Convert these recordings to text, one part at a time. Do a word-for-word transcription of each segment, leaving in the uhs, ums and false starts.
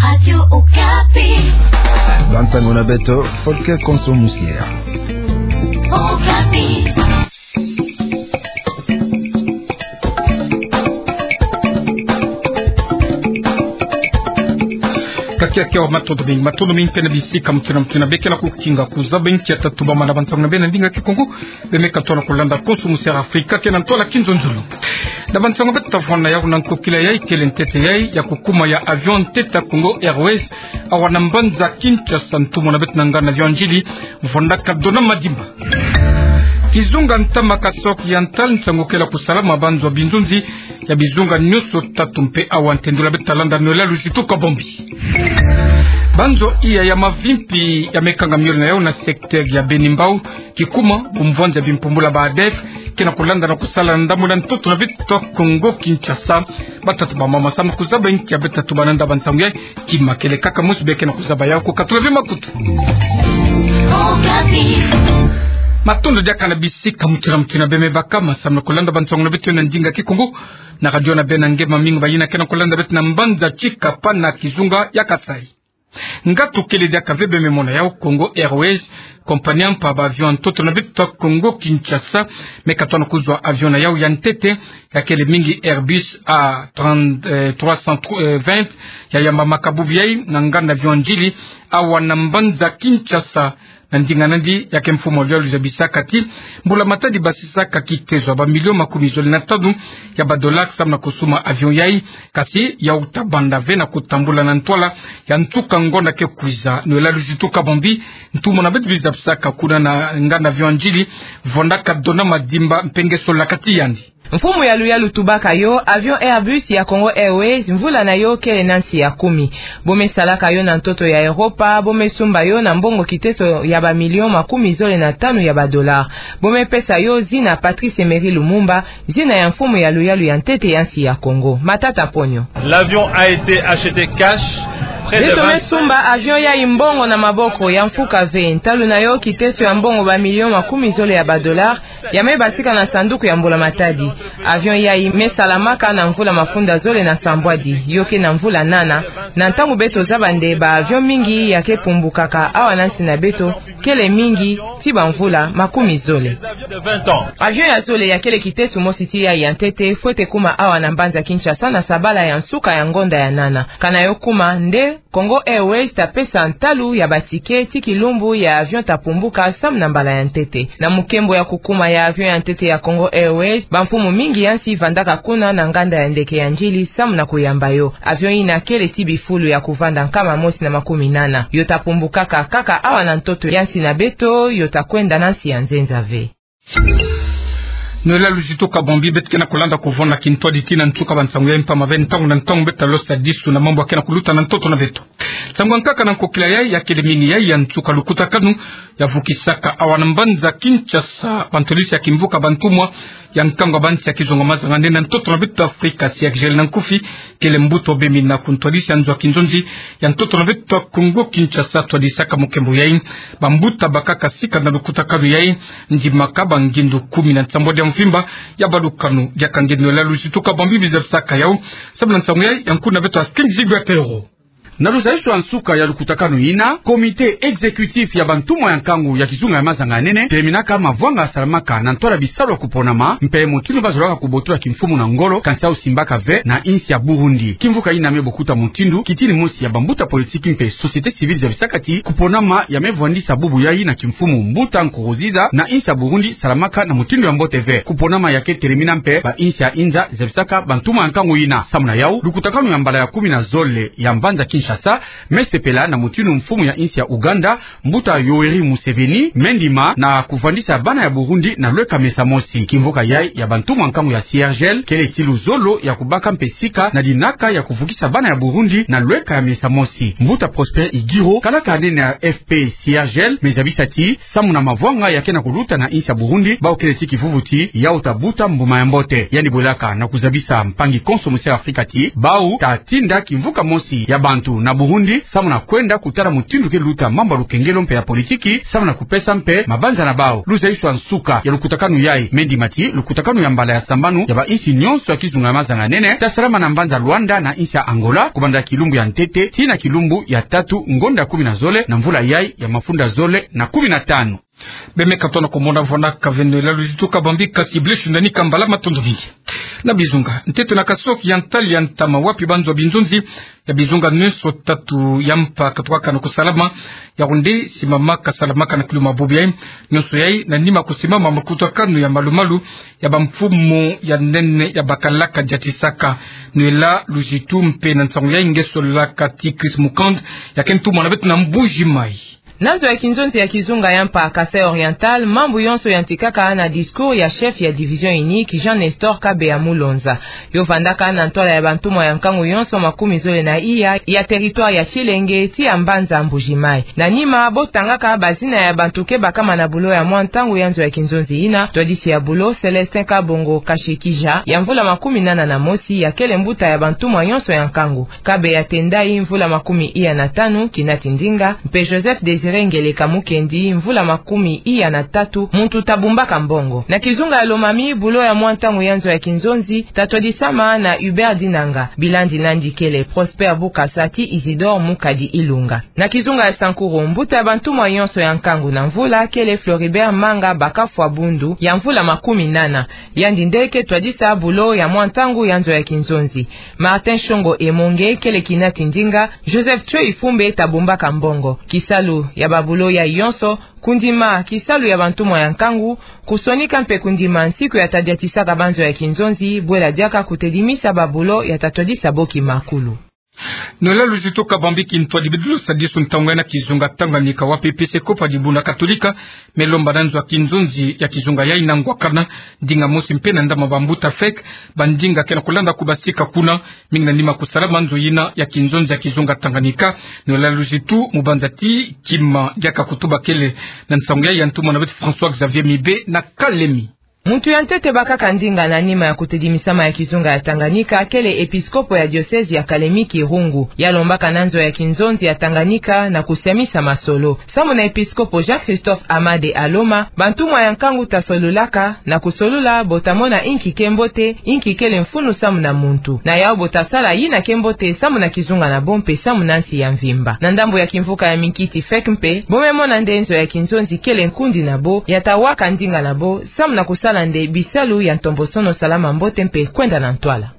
Radio Okapi. Bantango na beto, Volker Konso Musiera. Okapi. Kakiaki awa, matondo mingi, matondo mingi mpe na bisika mutinamutinabe ke na kukinga kuzaba nkia tatubama na bantango na beno na ndinga Kikongo. Beno me katuka na kulanda Konso Musiera Afrika ke na ntwala kinzonzolo. Na bantango beto tavwanda yau na nkokila yai kele ntete yai ya kukuma ya avion ntete ya Congo Airways awa na mbanza Kinshasa, ntu mona beto na nganda avion ndjili, vwandaka dona madimba. Kizunga ntama ka Soc Oriental, nsangu kele ya kusalama banzo binzunzi ya bizunga nyonso tatu mpe awa ntendula beto talanda nwela Luzitu Kabombi. Banzo iya ya mavimpi ya me kanga miole na yau na secteur ya Beni Mbau, kikuma ku mvwanza ya bimpumbula ba ADF, ke na kulanda na kusala na ndambu na ntoto na beto Congo Kinshasa. Batata bamama, samu na kuzaba nkia beto tatubana na bantango yai, kima kele kaka mosi beno ke na kuzaba yau, kukatula ve makutu. Matondo diaka na bisika mutinamutinabe beno me baka, samu na kulanda bantango na beto na ndinga Kikongo na radio na beno na nge mamingi bayina ke na kulanda beto na mbanza Tshikapa na kizunga ya Kasaï. Ngatu kele diaka ve, beno me mona yau, Congo Airways, compagnie mpa ba avion ntoto na beto Congo Kinshasa, me katuka na kuzwa avion na yau ya ntete, ya kele mingi Airbus A trente, euh, trois cent vingt, ya yambamaka bubu yai na nganda avion ndjili awa na mbanza Kinshasa. Na ndinga nandi, ya ke mfumu wa luyalu zabisaka ti mbula matadi basisaka kiteso ya ba million makumi zole na tanu ya ba dollars samu na kusuma avion yai, kasi yau tabanda ve na kutambula na ntwala ya nsuka ngonda ke kwiza. Nwela Luzitu Kabombi, ntu mona beto biza bisaka kuna na nganda avion ndjili, vwandaka dona madimba mpe nge sola kati yandi. Mfumu ya luyalu tubaka yo, avion Airbus ya Congo Airways, mvula na yo kele na nsi ya kumi. Bo me salaka yo na ntoto ya Europa, bo me sumba yo na mbongo kiteso ya ba million makumi zole na tanu ya ba dollars. Bo me pesa yo zina Patrice Emery Lumumba, zina ya mfumu ya luyalu ya ntete ya nsi ya Congo. Matata Ponyo. L'avion a été acheté cash, près de... Beto me sumba avion yai mbongo na maboko, ya mfuka ve, ntalu na yo kiteso ya mbongo ba million makumi zole ya ba dollars, ya me basika na sanduku ya mbula matadi. Avion yai me salamaka na mvula mafunda zole na sambwadi, yo ke na mvula nana, na ntangu beto zaba nde ba avion mingi ya ke pumbukaka awa na nsi na beto, kele mingi, ti ba mvula makumi zole. Avion ya zole ya kele kiteso mosi ti yai ya ntete, fwete kuma awa na mbanza Kinshasa na sabala ya nsuka ya ngonda ya nana. Kana yo kuma nde, Congo Airways ta pesa ntalu ya ba ticket ti kilumbu ya avion ta pumbuka samu na mbala ya ntete. Na mukembo ya kukuma ya avion ya ntete ya Congo Airways, ba mfumu mingi ya nsi vandaka kuna na nganda ya ndeke ya ndjili samu na kuyamba yo. Avion yina kele ti bifulu ya kuvanda nkama mosi na makumi nana. Yo ta pumbukaka kaka awa na ntoto ya nsi na beto, yo ta kwenda na nsi ya nzenza ve. Nwela Luzitu Kabombi, beto ke na kulanda kuvona kintwadi tii na nsuka bansangu yai mpamba ve ntangu na ntangu beto ta losa disu na mambu ya ke na kuluta na ntoto na beto. Nsangu ya nkaka na nkokila yai, ya kele mingi yai ya nsuka lukutakanu ya vukisaka awa na mbanza Kinshasa ba ntwadisi ya kimvuka bantumwa ya nkangu ya bansi ya kizunga mazanga nene na ntoto na beto Afrika, C R G L na nkufi, kele mbuta obemina ku ntwadisi ya nzo ya kinzonzi ya ntoto na beto Congo Kinshasa, twadisaka mukembo yai. Bambuta bakaka sika na lukutakanu yai, ndimaka ba ngindu kumi na nsambwadi ya mvimba ya balukanu. Diaka nge Nwela Luzitu Kabombi biza bisaka yau, samu na nsangu yai ya nkuna beto Asking Zigwe Atero. Na luzayusu ya nsuka ya lukutakanu yina, comité exécutif ya bantumwa ya nkangu ya kizunga ya mazanga nene, teminaka mavwanga salamaka na ntwala bisalu ya kuponama, mpe mutindu bazolaka kubotola kimfumu na ngolo, kansi yau simbaka ve na insi ya Burundi. Kimvuka yina me bokuta mutindu, kitini mosi ya bambuta politiki mpe société civile zabisaka ti kuponama ya me vwandisa bubu yai na kimfumu mbuta Nkurunziza na insi ya Burundi salamaka na mutindu ya mbote ve. Kuponama ya ke telemina mpe ba insi ya inza zabisaka bantumwa ya nkangu yina. Samu na yau, lukutakanu ya mbala ya kumi na zole ya mbanza Kinshasa me sepela na mutindu mfumu ya insi ya Ouganda, mbuta Yoweri Museveni, me ndima na kuvwandisa bana ya Burundi na lweka mesa mosi. Kimvuka yai ya bantumwa ya nkangu ya C R G L kele ti luzolo ya kubaka mpe sika na dinaka ya kuvukisa bana ya Burundi na lweka ya mesa mosi. Mbuta Prosper Ighiro, kalaka nene ya F P C R G L, me zabisa ti samu na mavwanga ya ke na kuluta na insi ya Burundi, bau kele ti kivuvuti yau ta buta mbuma ya mbote. Yandi bwelaka na kuzabisa mpangi konso mu se Afrika ti bau ta tinda kimvuka mosi ya bantu. na Burundi, samu na kwenda kutala mutindu ke luta mambu ya lukengelo mpe ya politiki, samu na kupesa mpe mabanza na bau. Luzayiswa nsuka ya lukutakanu yayi, me ndima ti lukutakanu ya mbala ya sambanu ya bainsi nyonso ya kizunga ya maza-nganene, ta salama na mbanza Luanda na insi ya Angola, kubanda kilumbu ya ntete tii na kilumbu ya tatu ngonda kumi na zole na mvula yayi ya mafunda zole na kumi na tanu. Bemeka tona komona vwana kaveno ela luzitu kabambi kati bleshi ndani kambala matondo mingi. Na bizunga, ntete na Kasaï Oriental ya ntama wapi banzo ya binzonzi ya bizunga nyonso tatu ya mpa katukaka na kusalama, ya kunde simama kasalamaka na kiluma bobi yayi, nyonso yayi na nima kusimama makutakanu ya malu-malu ya bamfumu ya nene ya bakalaka diatisaka. Nwela luzitu mpe na nsangu yayi nge sololaka ti Chris Mukand, ya ke ntumwa na beto na Mbuji Mayi. Na nzo ya kinzonzi ya kizunga ya mpa Kasaï Oriental, mambu yonso yantikaka na discours ya chef ya division unique Jean Nestor Kabeya Mulonza. Yo vandaka na ntwala ya bantumwa ya nkangu yonso makumi zole na iya ya territoire ya Tshilenge tii ya mbanza Mbuji Mayi. Na nima bo tangaka bazina ya bantu ke bakama na bulo ya mwa ntangu ya nzo ya kinzonzi yina, twadisi ya bulo Célestin Kabongo Kashikija, ya mvula makumi nana na mosi, ya kele mbuta ya bantumwa yonso ya nkangu. Kabeya Tendai, mvula makumi iya na tanu, kinati ndinga, mpe Joseph Désiré Ngeleka Mukendi, mvula makumi iya na tatu, muntu tabumbaka mbongo. Na kizunga ya Lomami, bulo ya mwa ntangu ya nzo ya kinzonzi tatwadisama na Hubert Dinanga, bilandi nandi kele Prosper Bukasa tii Isidore Mukadi Ilunga. Na kizunga ya Sankuru, mbuta ya bantumwa yonso ya nkangu na mvula kele Floribert Manga Bakafwa Bundu, ya mvula makumi nana. Yandi nde ke twadisa bulo ya mwa ntangu ya nzo ya kinzonzi. Martin Shongo Emonge kele kinati ndinga, Joseph Tshwe Ifumbe tabumbaka mbongo. Kisalu ya babulo yayi yonso, kundima kisalu ya bantumwa ya nkangu, kusonika mpe kundima nsiku ya tadiatisaka banzo ya kinzonzi, bwela diaka kutedimisa babulo ya tatwadisa bo kimakulu. Nwela luzitu kabambi kintwadi bidilu sadisu ntangu yayi na kizunga Tanganyika wapi episkopo ya dibundu katolika me lomba na nzo ya kinzonzi ya kizunga yayi na ngwakana ndinga mosi mpe na ndambu ya bambuta fek, bandinga ke na kulanda kubasika kuna, mingi na nima kusalama nzo yina ya kinzonzi ya kizunga Tanganyika. Nwela luzitu mu banza ti kima diaka kutuba kele na nsangu yayi ya ntumwa na beto François Xavier Mibe na Kalemi. Muntu ya ntete bakaka ndinga na nima ya kutedimisama ya kizunga ya Tanganyika kele episkopo ya diocèse ya Kalemi Kirungu. Ya lombaka na nzo ya kinzonzi ya Tanganyika na kusiamisa masolo. Samu na episkopo Jean-Christophe Amade Aloma, bantumwa ya nkangu tasolulaka, na kusolula bo tamona inki ke mbote, inki kele mfunu samu na muntu. Na yau bo tasala yina ke mbote samu na kizunga na bo mpe samu na nsi ya mvimba. Na ndambu ya kimvuka ya minkiti fek mpe, bo me mona nde nzo ya kinzonzi kele nkundi na bo, ya tawaka ndinga na bo, samu na kusala nde bisalu ya ntombosono salama mbote mpe kwenda na ntwala.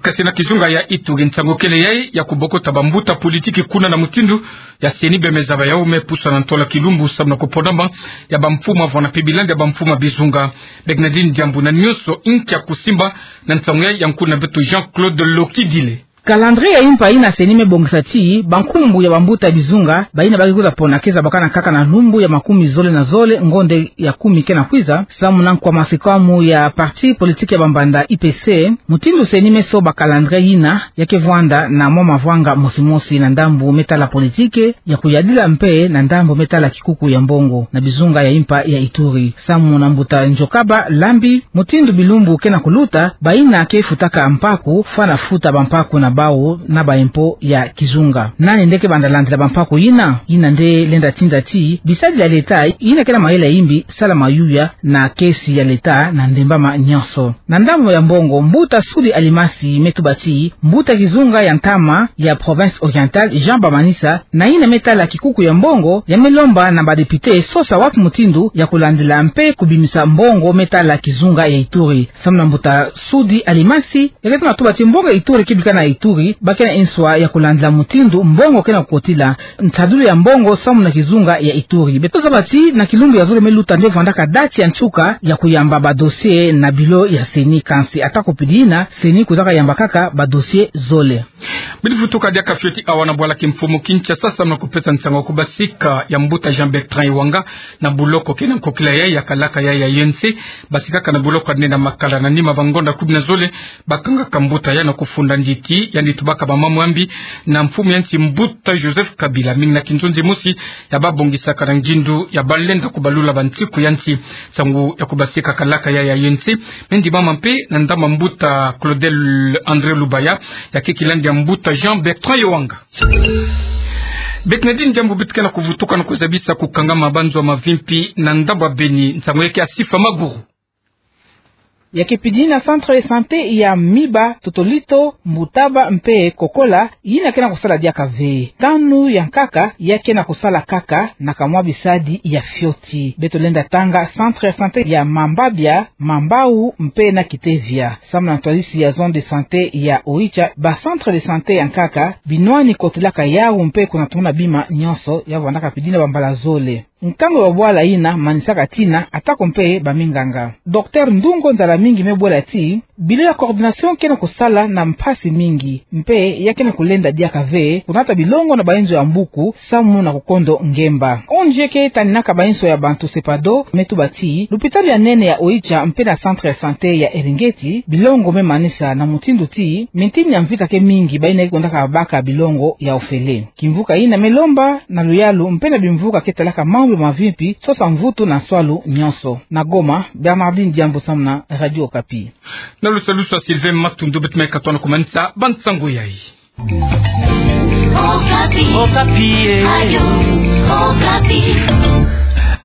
Kasi na kizunga ya Ituri, nsangu kele yayi ya kubokota bambuta politiki kuna na mutindu ya CENI bemeza ba yau me pusa na ntwala kilumbu samu na kupondama ya bamfumu avwanda mpe bilandi ya bamfumu ya bizunga. Bernardine Diambu na nyonso inki ya kusimba na nsangu yayi ya nkuna beto Jean-Claude Lokidile. Calendrier ya impa yina CENI me bongisa ti bankumbu ya bambuta ya bizunga, bayina ba ke kwiza pona ke zabakana kaka na lumbu ya makumi zole na zole ngonde ya kumi ke na kwiza, samu na nkwa masikamu ya parti politique ya bambanda I P C. Mutindu CENI me soba calendrier yina, ya ke vwanda na mwa mavwanga mosi mosi na ndambu me tala politique ya kuyadila mpe na ndambu me tala kikuku ya mbongo na bizunga ya impa ya Ituri. Samu na mbuta Njokaba Lambi, mutindu bilumbu ke na kuluta, bayina ke futaka mpaku, fwana futa bampaku na bau na ba impôt ya kizunga. Nani nde ke banda landila bampaku yina? Yina nde lenda tinda ti bisadila ya leta yina ke na mayela ya imbi sala mayuya na kesi ya leta na ndembama nyonso. Na ndambu ya mbongo, mbuta Sudi Alimasi me tuba ti mbuta kizunga ya ntama ya province orientale, Jean Bamanisa, na yina me tala kikuku ya mbongo, ya me lomba na ba député sosa wapi mutindu ya kulandila mpe kubimisa mbongo me tala kizunga ya Ituri. Samu na mbuta Sudi Alimasi, ya ke tuna tuba ti mbongo ya Ituri ke bika na Ituri, ba ke na inswa ya kulandila mutindu mbongo ke na kukotila, nsadulu ya mbongo samu na kizunga ya Ituri. Beto zaba ti na kilumbu ya zole me luta nde vwandaka date ya nsuka ya kuyamba ba dossier na bureau ya CENI, kansi ata kupidi yina, CENI kwizaka yamba kaka ba dossier zole. Bidi vutuka diaka fioti awa na bwala kimfumu Kinshasa samu na kupesa nsangu ya kubasika ya mbuta Jean Bertrand Iwanga na buloko ke na nkokila yayi ya kalaka yayi ya U N C, basikaka na buloko ya nde na Makala na nima bangonda kumi na zole, bakangaka mbuta yayi na kufunda nditi yandi tubaka bamambu ya mbi na mfumu ya nsi mbuta Joseph Kabila, mingi na kinzonzi mosi ya babongisaka na ngindu ya balenda kubalula bansiku ya nsi. Nsangu ya kubasika kalaka ya, ya yandi, me ndimama mpe na ndambu ya mbuta Claudel André Lubaya, ya ke kilandi ya mbuta Jean Bertrand Yoanga. Beto na dini diambu beto ke na kuvutuka na kuzabisa kukangama banzo ya mavimpi na ndambu ya Beni. Nsangu ya ke ya Sifa Maguru. Ya ke pidini na centre de santé ya Miba, Totolito, Mbutaba mpe Kokola, yina ke na kusala diaka ve. Tanu ya nkaka ya ke na kusala kaka na kamwa bisadi ya fioti. Beto lenda tanga centre de santé ya Mambabia, Mambau mpe na Kitevia. Samu na ntwadisi ya zone de santé ya Oicha, ba centre de santé ya nkaka binwani kotelaka yawu mpe kuna tuna bima nyonso. Ya vandaka pidini na bambala zole. Nkangu ya bwala yina manisaka tina, atako mpe baminganga. Docteur Ndungo Nzalamingi me bwela ti bilo ya coordination ke na kusala na mpasi mingi, mpe ya ke na kulenda diaka ve kunata bilongo na bainzo ya mbuku samu na kukondo ngemba. O N G ke taninaka bainzo ya bantu, Sepado, me tuba ti lupitalu ya nene ya Oicha mpe na centre de santé ya Eringeti bilongo me manisa, na mutindu ti mintini ya mvita ke mingi bayina ke kondaka baka bilongo ya ofele. Kimvuka yina me lomba na luyalu mpe na bimvuka ke talaka mambu ya mavimpi, sosa mvutu na nswalu nyonso. Na Goma, Bernardine Diambu samu na Radio Okapi. Na lusalusu ya Sylvain Matundu, beto me katuka na kumanisa bansangu yayi. Okapi. Okapi, eh. Radio Okapi.